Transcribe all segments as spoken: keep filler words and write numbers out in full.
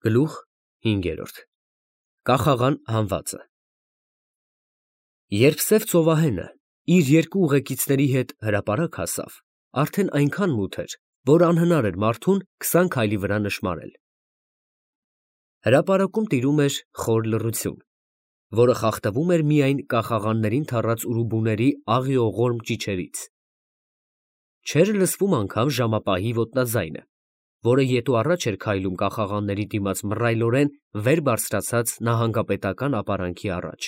Գլուխ հինգերորդ Կախաղան հանվածը Երբ սև ծովահենը իր երկու ուղեկիցների հետ հրապարակ հասավ, արդեն այնքան մութ էր, որ անհնար էր մարդուն քսան քայլի վրա նշմարել. հրապարակում տիրում էր խոր լռություն, որը խախտվում էր միայն կախաղաններին թառած ուրուբուների աղիողորմ ճիչերից. չէր լսվում անգամ ժամապահի ոտնաձայնը, որը ետու առաջ էր քայլում կախաղանների դիմաց մռայլորեն վեր բարձրացած նահանգապետական ապարանքի առաջ.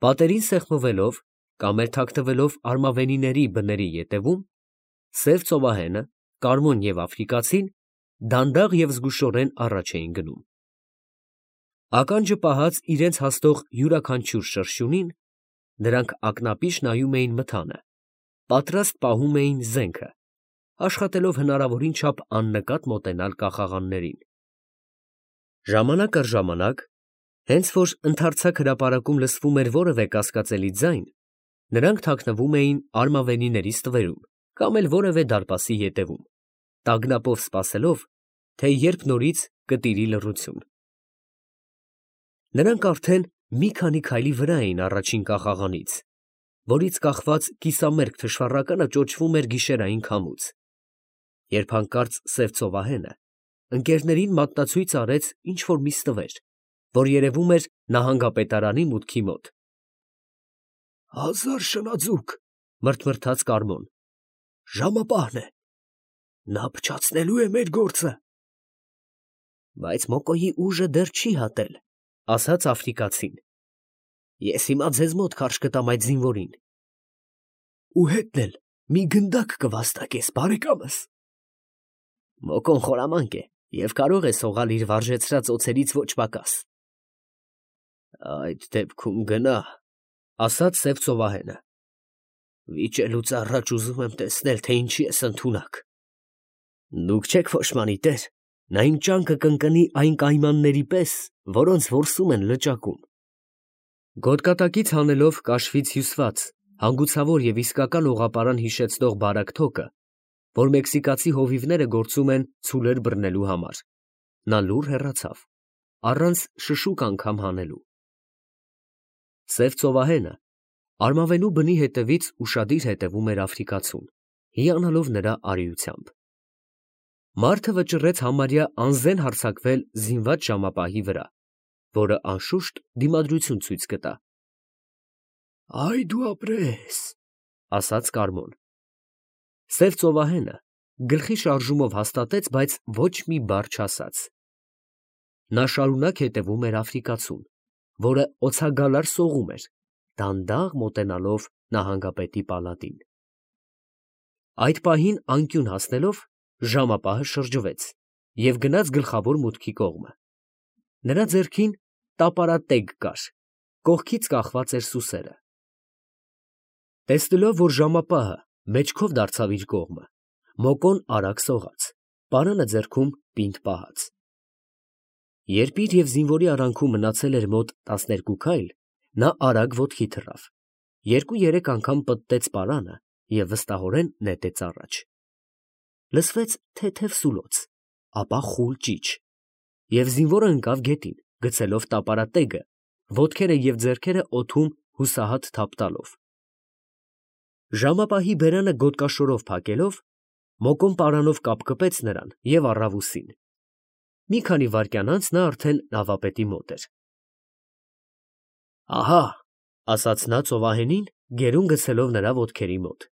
պատերին սեղմվելով կամ էլ թաքնվելով արմավենիների բների ետևում, սև ծովահենը, Կարմոն և Աֆրիկացին դանդաղ և զգուշորեն առաջ էին գնում. ականջը պահած իրենց հասնող յուրաքանչյուր շրշյունին, նրանք ակնապիշ նայում էին մթանը, պատրաստ պահում էին զենքը, աշխատելով հնարավորին չափ աննկատ մոտենալ կախաղաններին. ժամանակ առ ժամանակ, հենց որ ընդարձակ հրապարակում լսվում էր որևէ կասկածելի ձայն, նրանք թաքնվում էին արմավենիների ստվերում կամ էլ որևէ դարպասի ետևում, տագնապով սպասելով, թե երբ նորից կտիրի լռություն. նրանք արդեն մի քանի քայլի վրա էին առաջին կախաղանից, որից կախված կիսամերկ թշվառականը ճոճվում էր գիշերային քամուց, երբ հանկարծ սև ծովահենը ընկերներին մատնացույց արեց ինչ֊որ մի ստվեր, որ երևում էր նահանգապետարանի մուտքի մոտ։ «Հազար շնաձուկ, ֊ մրթմրթաց Կարմոն, ֊ ժամապահն է, նա փչացնելու է մեր գործը»։ Բայց Մոկոյի ուժը դեռ չի հատել, ֊ ասաց Աֆրիկացին. ես հիմա ձեզ մոտ քարշ կտամ այդ զինվորին։ Ու հետն էլ մի գնդակ կվաստակես, բարեկամս։ Մոկոն խորամանկ է և կարող է սողալ իր վարժեցրած օձերից ոչ պակաս։ Այդ դեպքում գնա, ֊ ասաց սև ծովահենը, վիճելուց առաջ ուզում եմ տեսնել, թե ինչի ես ընդունակ։ Դուք չեք փոշմանի, տեր, նա իմ ճանկը կընկնի այն կայմանների պես, որոնց որսում են լճակում։ Գոտկատակից հանելով կաշվից հյուսված, հանգուցավոր և իսկական օղապարան հիշեցնող բարակ թոկը, որ մեքսիկացի հովիվները գործում են ցուլեր բռնելու համար, նա լուռ հեռացավ, առանց շշուկ անգամ հանելու։ Սև ծովահենը արմավենու բնի հետևից ուշադիր հետևում էր Աֆրիկացուն, հիանալով նրա արիությամբ։ Մարդը վճռեց համարյա անզեն հարձակվել զինված ժամապահի վրա, որը անշուշտ դիմադրություն ցույց կտա։ Այ դու ապրես, ֊ ասաց Կարմոն։ Սև ծովահենը գլխի շարժումով հաստատեց, բայց ոչ մի բառ չասաց։ Նա շարունակ հետևում էր Աֆրիկացուն, որը օձագալար սողում էր, դանդաղ մոտենալով նահանգապետի պալատին։ Այդ պահին անկյուն հասնելով, ժամապահը շրջվեց և գնաց գլխավոր մուտքի կողմը։ Նրա ձեռքին տապարատեգ կար, կողքից կախված էր սուսերը։ Տեսնելով, որ ժամապահը մեջքով դարձավ իր կողմը, Մոկոն արագ սողաց, պարանը ձեռքում պինդ պահած։ Երբ իր և զինվորի արանքում մնացել էր մոտ տասներկու քայլ, նա արագ ոտքի թռավ, երկու֊երեք անգամ պտտեց պարանը և վստահորեն նետեց առաջ։ Լսվեց թեթև սուլոց, ապա խուլ ճիչ, և զինվորը ընկավ գետին, գցելով տապարատեգը, ոտքերը և ձեռքերը օդում հուսահատ թափ տալով։ Ժամապահի բերանը գոտկաշորով փակելով, Մոկոն պարանով կապկպեց նրան և առավ ուսին։ Մի քանի վայրկյան անց նա արդեն նավապետի մոտ էր։ Ահա, ֊ ասաց նա ծովահենին, գերուն գցելով նրա ոտքերի մոտ։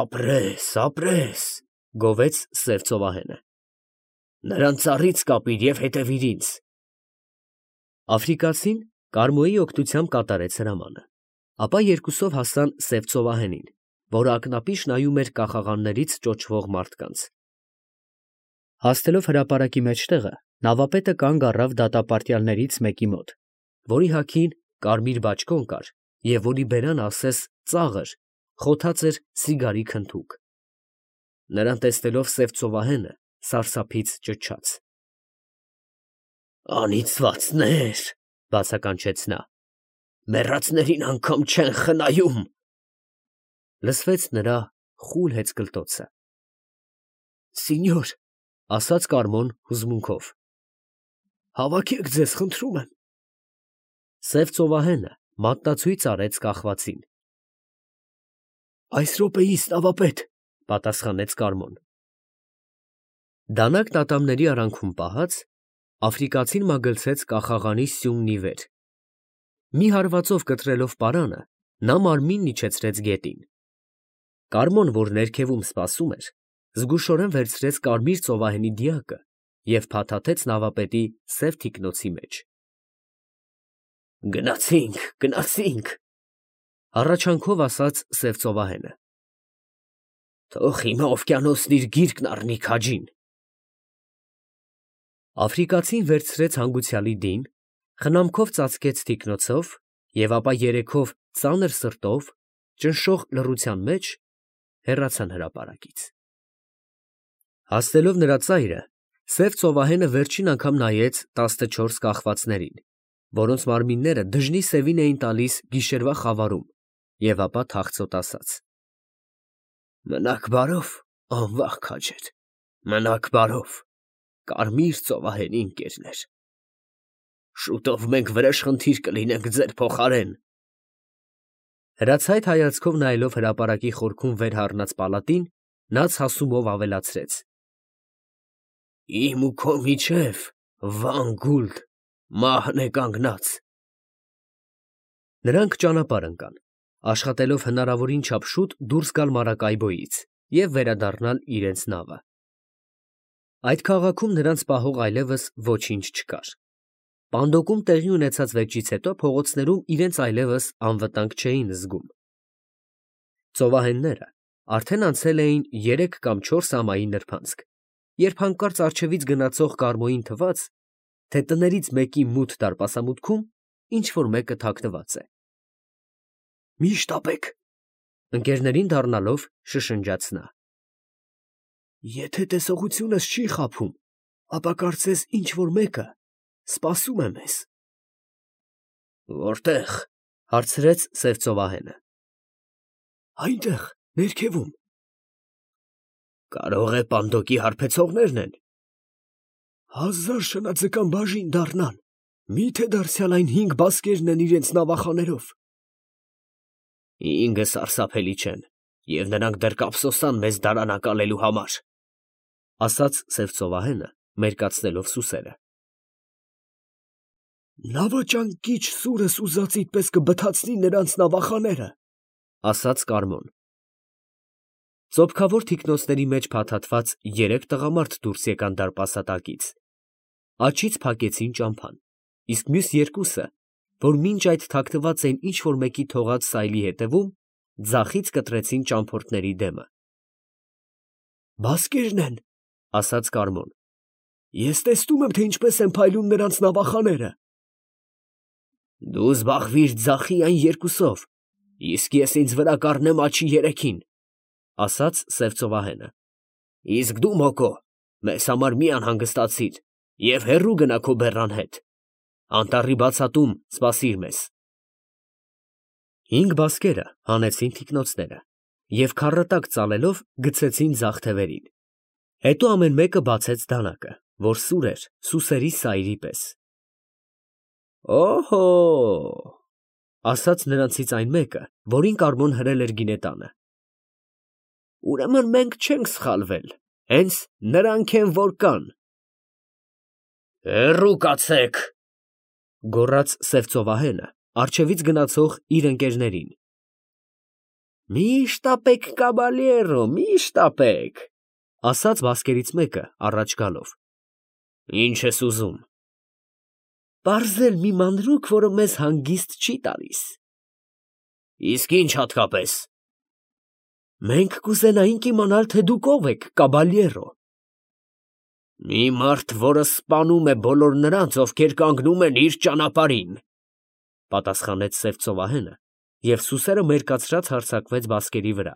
Ապրես, ապրես, ֊ գովեց սև ծովահենը, նրան ծառից կապիր և հետևիր ինձ։ Աֆրիկացին Կարմոյի օգնությամբ կատարեց հրամանը, ապա երկուսով հասան սև ծովահենին, որը ակնապիշ նայում էր կախաղաններից ճոճվող մարդկանց։ Հասնելով հրապարակի մեջտեղը, նավապետը կանգ առավ դատապարտյալներից մեկի մոտ, որի հագին կարմիր բաճկոն կար և որի բերանը ասես ծաղր, խոթած էր սիգարի քընդուկ։ Նրան տեսնելով սև ծովահենը սարսափից ճչաց. Անիծվածնե՜ր, ֊ բացականչեց նա, ֊ մեռածներին անգամ չեն խնայում։ Լսվեց նրա խուլ հեծկլտոցը։ Սինյոր, ասաց Կարմոն հուզմունքով։ Հավաքեք ձեզ, խնդրում եմ։ Սև ծովահենը մատնացույց արեց կախվածին։ Այս րոպեիս, նավապետ, պատասխանեց Կարմոն։ Դանակ տատամների արանքում պահած, աֆրիկացին մագլցեց կախաղանի սյունն ի վեր։ Մի հարվածով կտրելով պարանը, նա մարմինն իջեցրեց գետին։ Կարմոն, որ ներքևում սպասում էր, զգուշորեն վերցրեց կարմիր ծովահենի դիակը և փաթաթեց նավապետի սև թիկնոցի մեջ։ Գնացինք, գնացինք, հառաչանքով ասաց սև ծովահենը։ Թող հիմա օվկիանոսն իր գիրկն առնի քաջին։ Աֆրիկացին վերցրեց հանգուցյալի դին, խնամքով ծածկեց թիկնոցով և ապա երեքով ծանր սրտով, ճնշող լռության մեջ հեռացան հրապարակից։ Հասնելով նրա ծայրը, սև ծովահենը վերջին անգամ նայեց տասնչորս կախվածներին, որոնց մարմինները դժնի սևին էին տալիս գիշերվա խավարում, և ապա թախծոտ ասաց. Մնաք բարով, անվախ քաջեր, մնաք բարով, կարմիր ծովահենի ընկերներ։ Շուտով մենք վրեժխնդիր կլինենք ձեր փոխարեն։ Հրացայտ հայացքով նայելով հրապարակի խորքում վեր հառնած պալատին, նա ցասումով ավելացրեց. Իմ ու քո միջև, Վան Գուլդ, մահն է կանգնած։ Նրանք ճանապարհ ընկան, աշխատելով հնարավորին չափ շուտ դուրս գալ Մարակայբոյից և վերադառնալ իրենց նավը։ Այդ քաղաքում նրանց պահող այլևս ոչինչ չկար։ Պանդոկում տեղի ունեցած վեճից հետո փողոցներում իրենց այլևս անվտանգ չէին զգում։ Ծովահենները արդեն անցել էին երեք կամ չորս ամայի նրբանցք, երբ հանկարծ առջևից գնացող կարմոյին թվաց, թե տներից մեկի մութ դարպասամուտքում ինչ֊որ մեկը թաքնված է։ Մի շտապեք, ընկերներին դառնալով շշնջաց նա։ Եթե տեսողությունս չի խաբում, ապա կարծես ինչ֊որ մեկը սպասում է մեզ։ Որտե՞ղ, հարցրեց սև ծովահենը։ Այնտեղ, ներքևում։ Կարող է պանդոկի հարբեցողներն են։ Հազար շնաձկան բաժին դառնան, մի՞թե դարձյալ այն հինգ բասկերն են իրենց նավախաներով։ Հինգը սարսափելի չեն, և նրանք դեռ կափսոսան մեզ դարանակալելու համար, ասաց սև ծովահենը, մերկացնելով սուսերը։ Նավաճանկիչ սուրս ուզածիդ պես կբթացնի նրանց նավախաները, ասաց Կարմոն։ Ծոփքավոր թիկնոցների մեջ փաթաթված երեք տղամարդ դուրս եկան դարպասատակից։ Աջից փակեցին ճամփան, իսկ մյուս երկուսը, որ մինչ այդ թաքնված էին ինչ֊որ մեկի թողած սայլի հետևում, ձախից կտրեցին ճամփորդների դեմը։ Բասկերն են, ասաց Կարմոն։ Ես տեսնում եմ, թե ինչպես են փայլում նրանց նավախաները։ Դու զբաղվիր ձախի այն երկուսով, իսկ ես ինձ վրա կառնեմ աջի երեքին, ասաց սև ծովահենը։ Իսկ դու, Մոկո, մեզ համար մի անհանգստացիր և հեռու գնա քո բեռան հետ։ Անտառի բացատում սպասիր մեզ։ Հինգ բասկերը հանեցին թիկնոցները և քառատակ ծալելով գցեցին ձախ թևերին։ Հետո ամեն մեկը բացեց դանակը, որ սուր էր սուսերի սայրի պես։ Օհո, ասաց նրանցից այն մեկը, որին Կարմոն հրել էր գինետանը։ Ուրեմն մենք չենք սխալվել, հենց նրանք են, որ կան։ Հեռու կացեք, գոռաց սև ծովահենը, առջևից գնացող իր ընկերներին։ Մի շտապեք, կաբալյերո, մի շտապեք, ասաց բասկերից մեկը առաջ գալով։ Ինչ ես ուզում։ Պարզել մի մանրուք, որը մեզ հանգիստ չի տալիս։ Իսկ ինչ հատկապես։ Մենք կուզենայինք իմանալ, թե դուք ով եք, կաբալյերո։ Մի մարդ, որը սպանում է բոլոր նրանց, ովքեր կանգնում են իր ճանապարհին, պատասխանեց սև ծովահենը, և սուսերը մերկացրած հարձակվեց բասկերի վրա։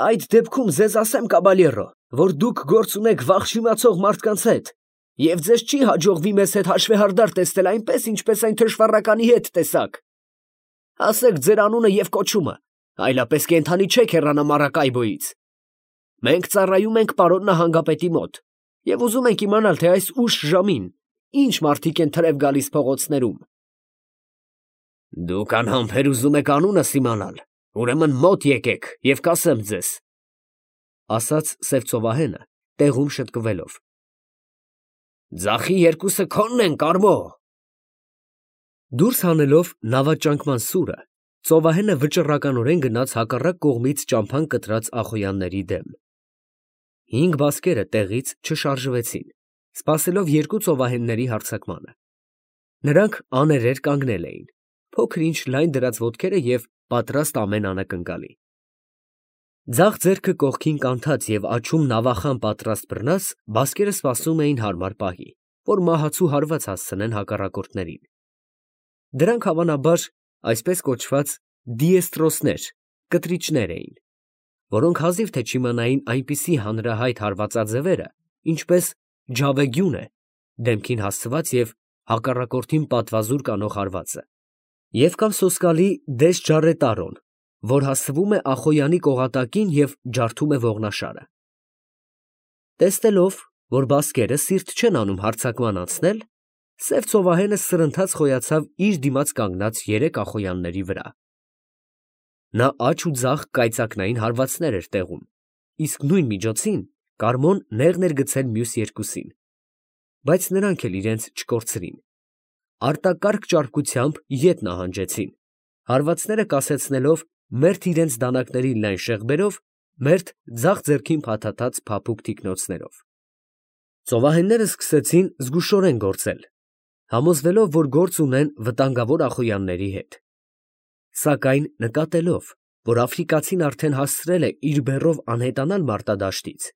Այդ դեպքում ձեզ ասեմ, կաբալյերո, որ դուք գործ ունեք վաղ չիմացող մարդկանց հետ, և ձեզ չի հաջողվի մեզ հետ հաշվեհարդար տեսնել այնպես, ինչպես այն թշվառականի հետ տեսաք։ Ասեք ձեր անունը և կոչումը, այլապես կենդանի չեք հեռանա Մարակայբոյից։ Մենք ծառայում ենք պարոն նահանգապետի մոտ, Եվ ուզում ենք իմանալ, թե այս ուշ ժամին ինչ մարդիկ են թրև գալիս փողոցներում։ Դուք անհամբեր ուզում եք անունս իմանալ, ուրեմն մոտ եկեք և կասեմ ձեզ, ասաց սև ծովահենը, տեղում շտկվելով։ Ձախի երկուսը քոնն են, Կարմո։ Դուրս հանելով նավաճանկման սուրը, ծովահենը վճռականորեն գնաց հակառակ կողմից ճամփան կտրած ախոյանների դեմ։ Հինգ բասկերը տեղից չշարժվեցին, սպասելով երկու ծովահենների հարձակմանը։ Նրանք աներեր կանգնել էին, փոքր-ինչ լայն դրած ոտքերը և պատրաստ ամեն անակնկալի։ Ձախ ձեռքը կողքին կանթած և աջում նավախան պատրաստ բռնած, բասկերը սպասում էին հարմար պահի, որ մահացու հարված հասցնեն հակառակորդներին։ Դրանք հավանաբար այսպես կոչված դիեստրոսներ, կտրիչներ էին, որոնք հազիվ թե չիմանային այնպիսի հանրահայտ հարվածաձևերը, ինչպես ջավեգյունը, դեմքին հասցված և հակառակորդին պատվազուր կանող հարվածը, և կամ սոսկալի դեսջարետարոն, որ հասցվում է Ախոյանի կողատակին և ջարդում է ողնաշարը։ Տեսնելով, որ բասկերը սիրտ չեն անում հարձակման անցնել, սև ծովահենը սրընթաց խոյացավ իր դիմաց կանգնած երեք ախոյանների վրա։ Նա աջ ու ձախ կայծակնային հարվածներ էր տեղում, իսկ նույն միջոցին Կարմոն նեղն էր գցել մյուս երկուսին, բայց նրանք էլ իրենց չկորցրին։ Արտակարգ ճարպկությամբ ետ նահանջեցին, հարվածները կասեցնելով մերթ իրենց դանակներին լայն շեղբերով, մերթ ձախ ձեռքին փաթաթած փափուկ թիկնոցներով։ Ծովահենները սկսեցին զգուշորեն գործել, համոզվելով, որ գործ ունեն վտանգավոր ախոյանների հետ։ Սակայն նկատելով, որ աֆրիկացին արդեն հասցրել է իր բեռով անհետանալ մարտադաշտից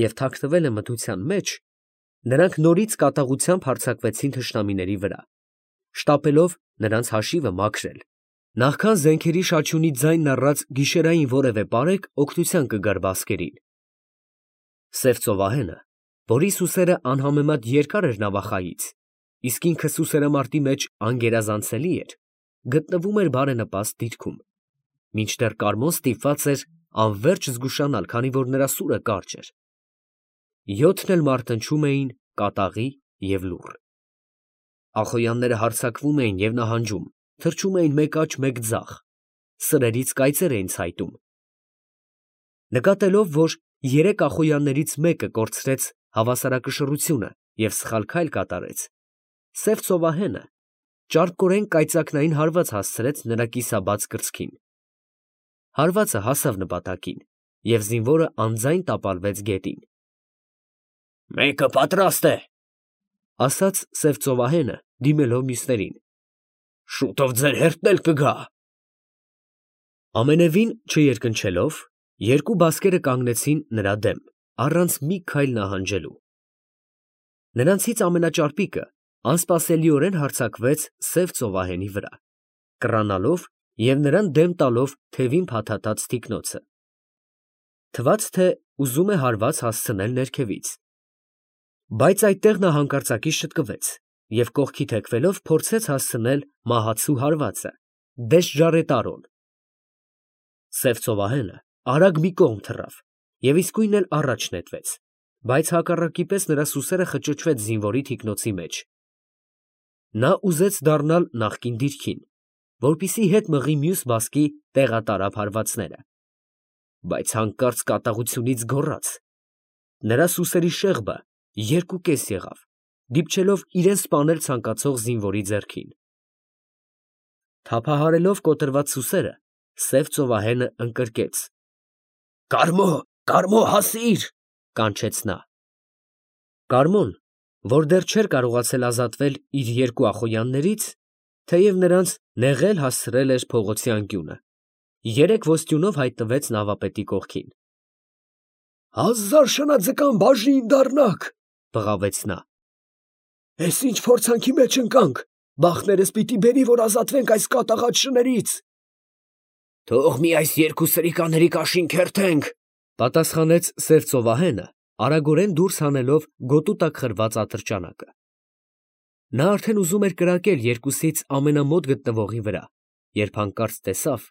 և թաքնվել է մթության մեջ, նրանք նորից կատաղությամբ հարձակվեցին թշնամիների վրա, շտապելով նրանց հաշիվը մաքրել, նախքան զենքերի շաչյունի ձայնն առած գիշերային որևէ պարեկ օգնության կգար բասկերին։ Սև ծովահենը, որի սուսերը անհամեմատ երկար էր նավախայից, իսկ ինքը սուսերամարտի մեջ անգերազանցելի էր, գտնվում էր բարենպաստ դիրքում, մինչդեռ Կարմոն ստիպված էր անվերջ զգուշանալ, քանի որ նրա սուրը կարճ էր։ Յոթն էլ մարտնչում էին կատաղի և լուռ։ Ախոյանները հարձակվում էին և նահանջում, թռչում էին մեկ աջ, մեկ ձախ, սրերից կայծեր էին ցայտում։ Նկատելով, որ երեք ախոյաններից մեկը կորցրեց հավասարակշռությունը և սխալ քայլ կատարեց, սև ծովահենը ճարպկորեն կայծակնային հարված հասցրեց նրա կիսաբաց կրծքին։ Հարվածը հասավ նպատակին, և զինվորը անձայն տապալվեց գետին։ «Մեկը պատրաստ է», ֊ ասաց սև ծովահենը, դիմելով մյուսներին։ «Շուտով ձեր հերթն էլ կգա»։ Ամենևին չերկնչելով, երկու բասկերը կանգնեցին նրա դեմ, առանց մի քայլ նահանջելու։ Նրանցից ամենաճարպիկը անսպասելիորեն հարձակվեց սև ծովահենի վրա, կռանալով և նրան դեմ տալով թևին փաթաթած թիկնոցը։ Թվաց, թե ուզում է հարված հասցնել ներքևից, բայց այդտեղ նա հանկարծակի շտկվեց և կողքի թեքվելով փորձեց հասցնել մահացու հարվածը՝ դեսջարետարոն։ Սև ծովահենը արագ մի կողմ թռավ և իսկույն էլ առաջ նետվեց, բայց հակառակի պես նրա սուսերը խճճվեց զինվորի թիկնոցի մեջ։ Նա ուզեց դառնալ նախկին դիրքին, որպեսզի հետ մղի մյուս բասկի տեղատարափ հարվածները, բայց հանկարծ կատաղությունից գոռաց։ Նրա սուսերի շեղբը երկուկես եղավ, դիպչելով իրան սպանել ցանկացող զինվորի ձեռքին։ Թափահարելով կոտրված սուսերը, սև ծովահենը ընկրկեց։ «Կարմո, Կարմո, հասի՛ր», ֊ կանչեց նա։ Կարմոն, որ դեռ չէր կարողացել ազատվել իր երկու ախոյաններից, թեև նրանց նեղել հասցրել էր փողոցի անկյունը, երեք ոստյունով հայտնվեց նավապետի կողքին։ «Հազար շնաձկան բաժին դառնաք, ֊ բղավեց նա, ֊ էս ինչ փորձանքի մեջ ընկանք, բախտներս պիտի բերի, որ ազատվենք այս կատաղած շներից»։ «Թող մի այս երկու սրիկաների կաշին քերթենք, ֊ պատասխանեց սև ծովահենը, արագորեն դուրս հանելով գոտու տակ խրված ատրճանակը։ Նա արդեն ուզում էր կրակել երկուսից ամենամոտ գտնվողի վրա, երբ հանկարծ տեսավ,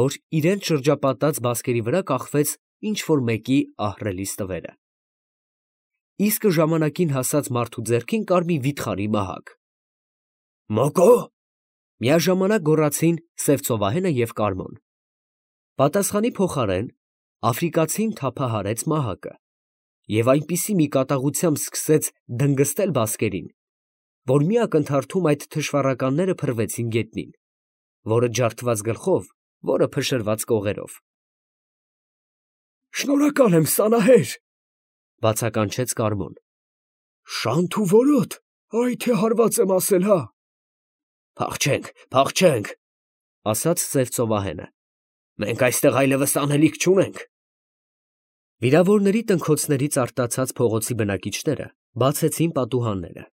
որ իրենց շրջապատած բասկերի վրա կախվեց ինչ֊որ մեկի ահռելի ստվերը։ իսկ ժամանակին հասած մարդու ձեռքին կար մի վիթխարի մահակ։ «Մոկո!» միաժամանակ գոռացին սև ծովահենը և Կարմոն։ Պատասխանի փոխարեն աֆրիկացին թափահարեց մահակը և այնպիսի մի կատաղությամբ սկսեց դնգստել բասկերին, որ մի ակնթարթում այդ թշվառականները փռվեցին գետնին, որը ջարդված գլխով, որը փշրված կողերով։ «Շնորհակալ եմ, Սանահեր, ֊ բացականչեց Կարմոն։ ֊ Շանթ ու որոտ, այ թե հարված եմ ասել, հա։ ֊ Փախչենք, փախչենք, ֊ ասաց սև ծովահենը, ֊ մենք այստեղ այլևս անելիք չունենք։ Վիրավորների տնքոցներից արտացած փողոցի բնակիչները բացեցին պատուհանները։